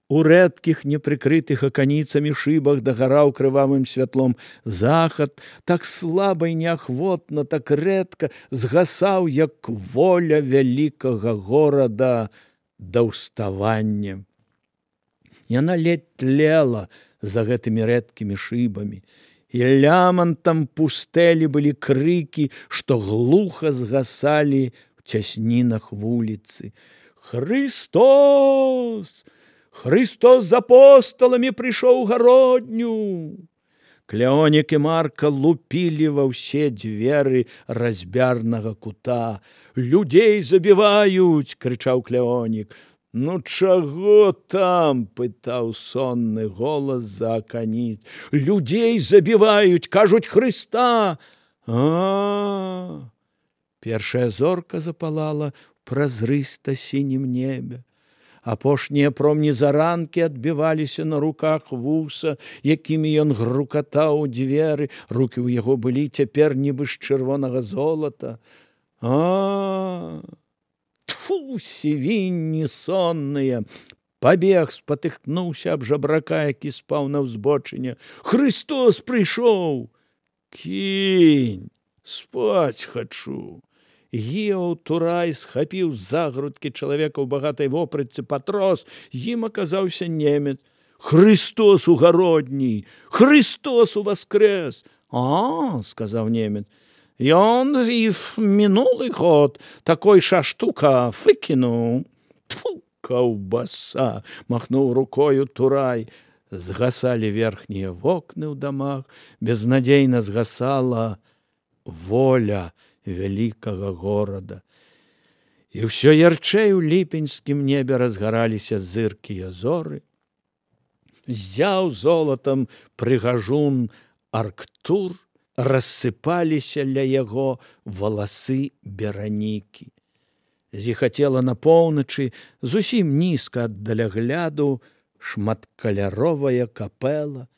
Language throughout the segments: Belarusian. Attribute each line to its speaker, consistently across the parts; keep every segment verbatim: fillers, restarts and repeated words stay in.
Speaker 1: У рэдкіх непрыкрытых аканіцамі шыбах дагараў крывавым святлом захад, так слаба і неахвотна, так рэдка згасаў, як воля вялікага горада да ўставання. Яна ледь тлела за гэтымі рэдкімі шыбамі, і лямантам пустэлі былі крыкі, што глуха згасалі ў цяснінах вуліцы. «Христос! Христос з апосталамі прыйшоў у гародню!» Кляонік і Марка лупілі ва ўсе дзверы разьбярнага кута. «Людзей забіваюць!» – крычаў Кляонік. «Ну чаго там?» – пытаў сонны голас за аканіц. «Людзей забіваюць, кажуць, Хрыста!» А-а-а! Першая зорка запалала ў празрыста-сінім небе. Апошнія промні заранкі адбіваліся на руках вуса, якімі ён грукатаў у дзверы. Рукі ў яго былі цяпер нібы з чырвонага золата. А, тфу, сівінні сонныя! Пабег, спатыхнуўся аб жабрака, які спаў на ўзбочыне. «Христос прыйшоў!» «Кінь! Спаць хачу!» Гіаў Турай схапіў за грудкі чалавека ў багатай вопратцы, патрос, ім аказаўся немец. «Христос у гародні! Христос уваскрэс!» «А, — сказаў немец, — ён і в мінулы год такой ша штука выкінуў». «Тьфу, каўбаса!» — махнуў рукою Турай. Згасалі верхнія вокны ў дамах, безнадзейна згасала воля вялікага горада. І ўсё ярчэй у ліпеньскім небе разгараліся зыркія зоры. Ззяў золатам прыгажун Арктур, рассыпаліся ля яго валасы Беранікі. Зіхацела на поўначы, зусім нізка ад далягляду, шматкаляровая капэла,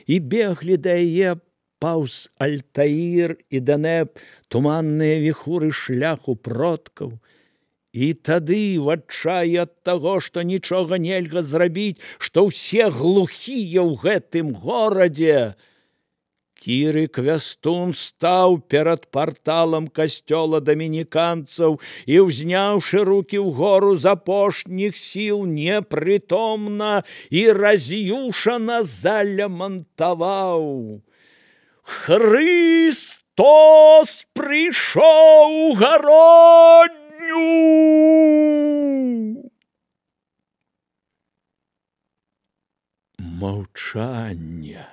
Speaker 1: і беглі да яе паўз Альтаір і Данэб туманныя віхуры шляху продкаў. І тады, в адчаі ад таго, што нічога нельга зрабіць, што ўсе глухія ў гэтым горадзе, Кіры Квястун стаў перад парталам касцёла дамініканцаў і, ўзняўшы рукі ўгору з апошніх сіл, непрытомна і раз'юшана залямантаваў: «Христос прыйшоў у гародню!» Маўчанне.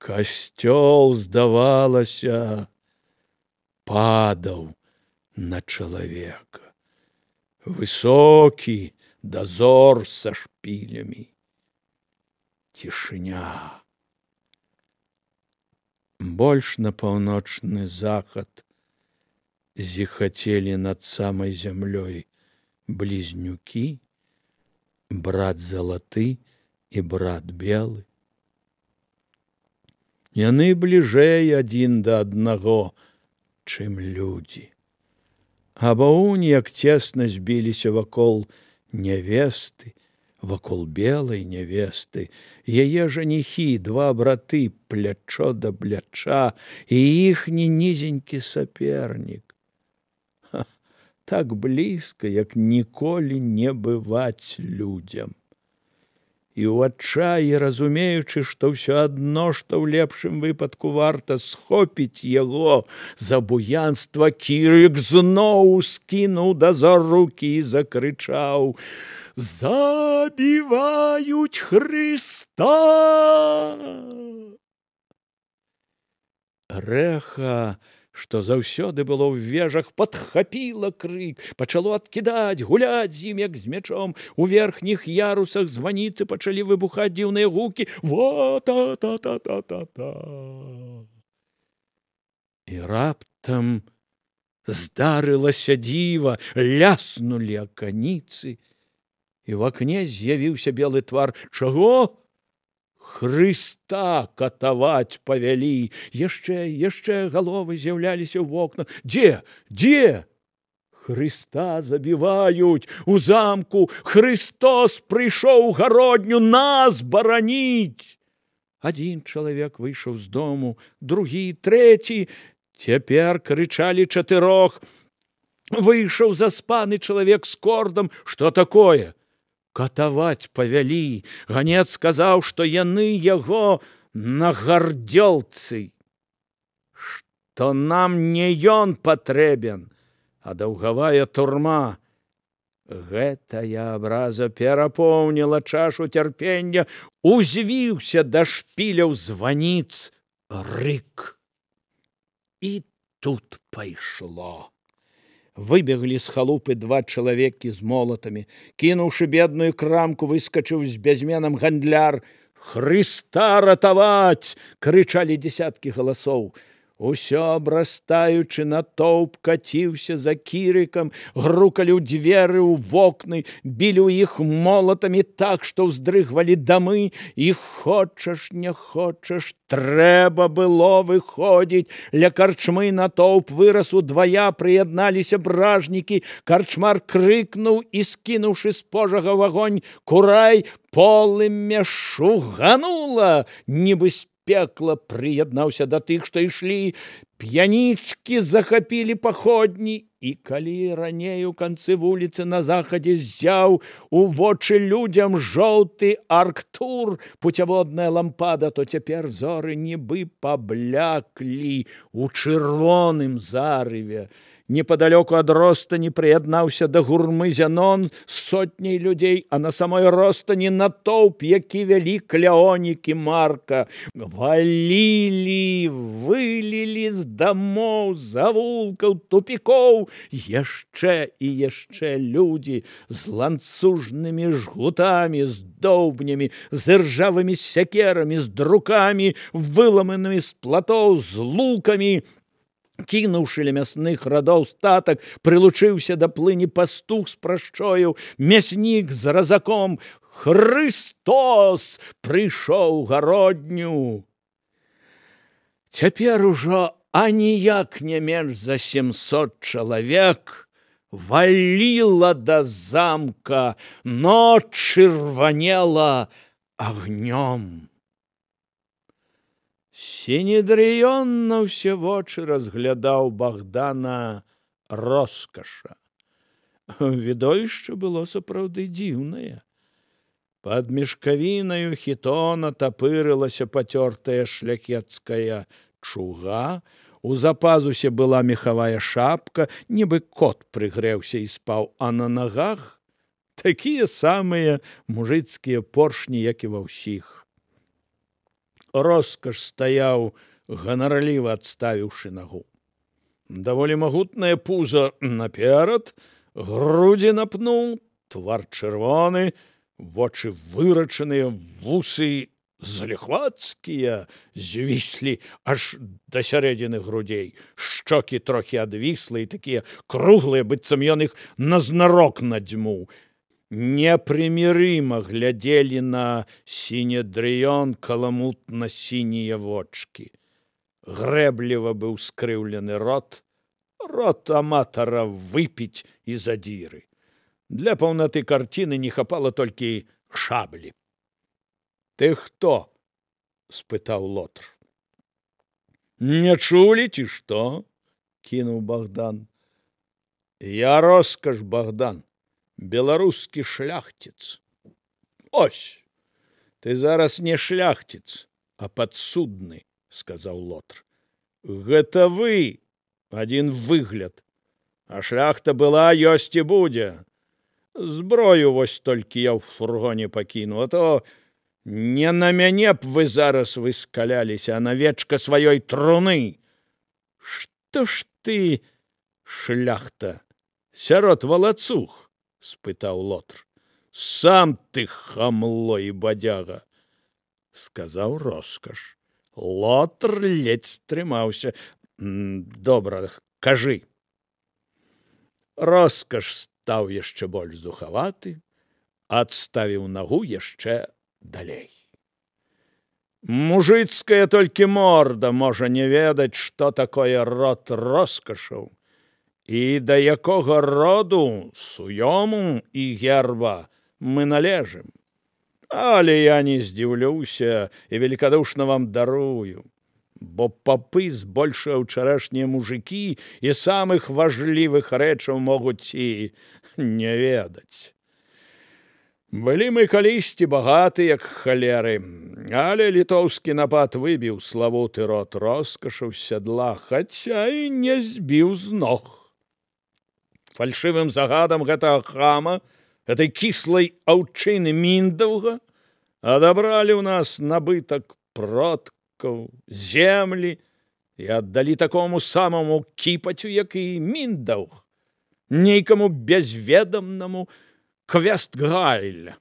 Speaker 1: Касцёл, здавалася, падаў на чалавека. Высокі дазор са шпілямі. Цішыня. Больш на паўночны захад зіхацелі над самай зямлёй блізнюкі, брат залаты і брат белы. Яны бліжэй адзін да аднаго, чым людзі. А баунь, як цесна збіліся вакол нявесты, вакол белай нявесты, яе жаніхі, два браты, плячо да пляча, і іхні нізенькі сапернік. Ха, так блізка, як ніколі не бываць людзям. І ў адчаі, разумеючы, што ўсё адно, што ў лепшым выпадку варта схопіць яго за буянства, Кірык зноў скінуў дазор рукі і закрычаў: «Забіваюць Хрыста!» Рэха, што заўсёды было ў вежах, падхапіла крык, пачало адкідаць, гуляць з ім, як з мячом. У верхніх ярусах званіцы пачалі выбухаць дзіўныя гукі: «Ва-та-та-та-та-та-та!» І раптам здарылася дзіва, ляснулі аканіцы, і ў акне з'явіўся белы твар. Чаго? Хрыста катаваць павялі. Яшчэ, яшчэ галовы з'яўляліся ў вокнах. Дзе? Дзе? Хрыста забіваюць у замку, Христос прыйшоў у гародню нас бараніць. Адзін чалавек выйшаў з дому, другі, трэці. Цяпер крычалі чатырох. Выйшаў заспаны чалавек з кордам. Што такое? Катаваць павялі. Ганец сказаў, што яны яго на гардзёлцы. Што нам не ён патрэбен, а даўгавая турма. Гэтая абраза перапоўніла чашу цярпення, узвіўся да шпіляў званіц рык. І тут пайшло. Выбеглі з халупы два чалавекі з молатамі. Кінуўшы бедную крамку, выскачыў з бязменам гандляр. «Хрыста ратаваць!» — крычалі дзесяткі галасоў. Усё абрастаючы натоўп каціўся за кірыкам, грукалі ў дзверы, ў вокны, білі ў іх молатамі так, што ўздрыгвалі дамы, і хочаш, не хочаш, трэба было выходзіць. Ля карчмы натоўп вырас удвая, прыядналіся бражнікі. Карчмар крыкнуў і, скінуўшы з пожага в агонь курай, полымя шуганула, нібы з пекла, прыяднаўся да тых, што ішлі. П'янічкі захапілі паходні, і калі раней у канцы вуліцы на захадзе ззяў у вочы людзям жоўты арктур, пуцяводная лампада, то цяпер зоры нібы пабляклі ў чырвоным зарыве. Непадалёку ад ростані прыяднаўся да гурмы Зянон з сотняй людзей, а на самой ростані натоўп, які вялі кляонікі Марка. Валілі, вылілі з дамоў, завулкаў, тупікоў яшчэ і яшчэ людзі з ланцужнымі жгутамі, з доўбнямі, з іржавымі сякерамі, з друкамі, выламанымі з платоў, з лукамі. Кінуўшы ля мясных радоў статак, прылучыўся да плыні пастух з прашчою, мяснік з разаком. Хрыстос прыйшоў гародню. Цяпер ужо аніяк не менш за сямсот чалавек валіла да замка, ноч чырванела агнём. Сінедрыён на ўсе вочы разглядаў Богдана Роскаша. Відовішча было сапраўды дзіўнае. Пад мешкавінаю хітона тапырылася пацёртая шляхецкая чуга, у запазусе была мехавая шапка, нібы кот прыгрэўся і спаў, а на нагах такія самыя мужыцкія поршні, як і ва ўсіх. Роскаш стаяў, ганарліва адставіўшы нагу. Даволі магутнае пузо наперад, грудзі напнуў, твар чырвоны, вочы вырачаныя, вусы заліхвацкія, звіслі аж да сярэдзіны грудзей, шчокі трохі адвіслыя, такія круглыя, быццам ён іх назнарок надзьмуў. Непрымірыма глядзелі на сінедрыён каламутна-сінія вочкі. Грэбліва быў скрыўлены рот, рот аматара выпіць і задзіры. Для паўнаты карціны не хапала толькі шаблі. «Ты хто?» – спытаў Лотр. «Не чулі, ці што?» – кінуў Богдан. «Я Роскаш Богдан. Беларускі шляхціц». «Ось, ты зараз не шляхціц, а падсудны», – сказаў Лотр. «Гэта вы, адзін выгляд, а шляхта была, ёсць і будзе. Зброю вось толькі я ў фургоне пакіну, а то не на мяне б вы зараз выскаляліся, а на вечка сваёй труны. Што ж ты, шляхта, сярод валацуг?» – спытаў Лотр. «Сам ты хамло і бадзяга», – сказаў Роскаш. Лотр ледзь стрымаўся. «Добра, кажы». Роскаш стаў яшчэ больш зухаваты, адставіў нагу яшчэ далей. «Мужыцкая толькі морда можа не ведаць, што такое род Роскашаў. і да якога роду, суёму і герба мы належым. Але я не здзіўлюся і великодушна вам дарую, бо папы збольшага ўчарашнія мужыкі і самых важлівых рэчаў могуць і не ведаць. Былі мы калісьці багаты, як халеры, але літоўскі напад выбіў славуты род роскашаў з сядла, хаця і не збіў з ног. Фальшывым загадам гэтага хама, гэтай кіслай аўчыны Міндаўга, адабралі ў нас набытак продкаў, землі і аддалі такому самому кіпацю, як і Міндаўг, нейкаму безведамнаму Квестгайля.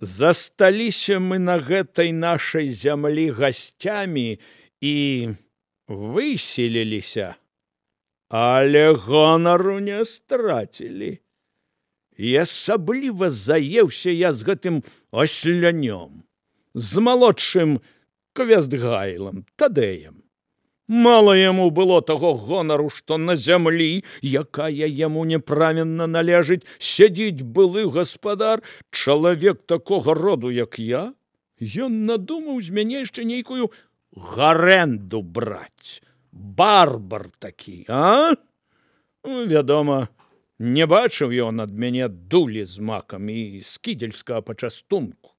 Speaker 1: Засталіся мы на гэтай нашай зямлі гасцямі і выселіліся, але гонару не страцілі. І асабліва заеўся я з гэтым ослянём, з малодшым Квестгайлам, Тадэем. Мала яму было таго гонару, што на зямлі, якая яму няправільна належыць, сядзіць былы гаспадар, чалавек такога роду, як я. Ён надумаў з мяне яшчэ нейкую гарэнду браць. Барбар такі, а? Вядома, не бачыў ён ад мяне дулі з макам і скідзельскага пачастунку.